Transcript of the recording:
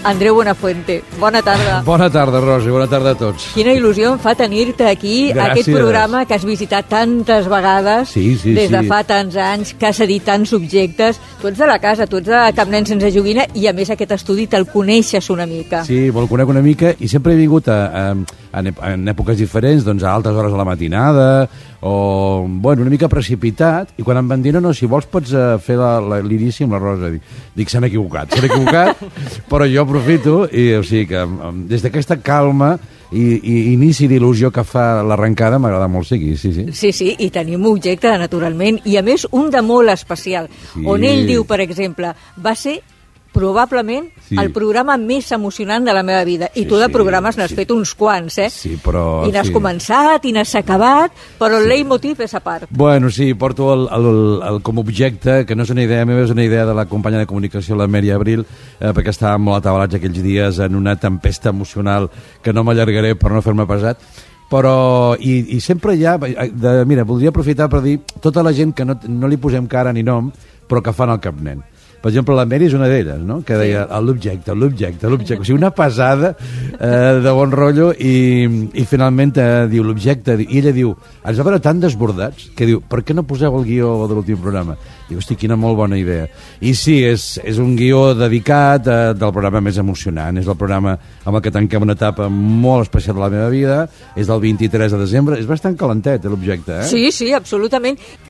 Andreu Buenafuente. Bona tarda. Bona tarda, Rosa, bona tarda a tots. Quina il·lusió em fa tenir-te aquí, Gràcies. aquest programa que has visitat tantes vegades, des de fa tants anys, que has edit tants subjectes. Tu ets de la casa, tu ets de Cap Nen Sense Joguina, i a més aquest estudi te'l coneixes una mica. Sí, me'l conec una mica, i sempre he vingut en èpoques diferents, doncs a altes hores de la matinada, o, bueno, una mica precipitat, i quan em van dir, no, si vols pots fer l'inici amb la Rosa. Dic, s'han equivocat, però jo aprofito, i o sigui que des d'aquesta calma i inici d'il·lusió que fa l'arrencada m'agrada molt seguir, sí. Sí, i tenim un objecte, naturalment, i a més un de molt especial, on ell diu, per exemple, va ser probablement el programa més emocionant de la meva vida. I tu de programes n'has fet uns quants, eh? Sí, però... I n'has començat, i n'has acabat, però el leitmotiv és a part. Bueno, sí, porto com a objecte, que no és una idea meva, és una idea de la companya de comunicació, la Mary Abril, perquè estàvem molt atabalats aquells dies en una tempesta emocional que no m'allargaré per no fer-me pesat, però i sempre hi ha... Mira, voldria aprofitar per dir tota la gent que no li posem cara ni nom, però que fan el Cap Nen. Per exemple, la Mary és una d'elles, no? Que deia l'objecte. O sigui, una pesada de bon rotllo i finalment diu l'objecte. I ella diu, ens va veure tan desbordats que diu, per què no poseu el guió de l'últim programa? Diu, hosti, quina molt bona idea. I sí, és un guió dedicat del programa més emocionant. És el programa amb el que tanquem una etapa molt especial de la meva vida. És del 23 de desembre. És bastant calentet, l'objecte, eh? Sí, absolutament.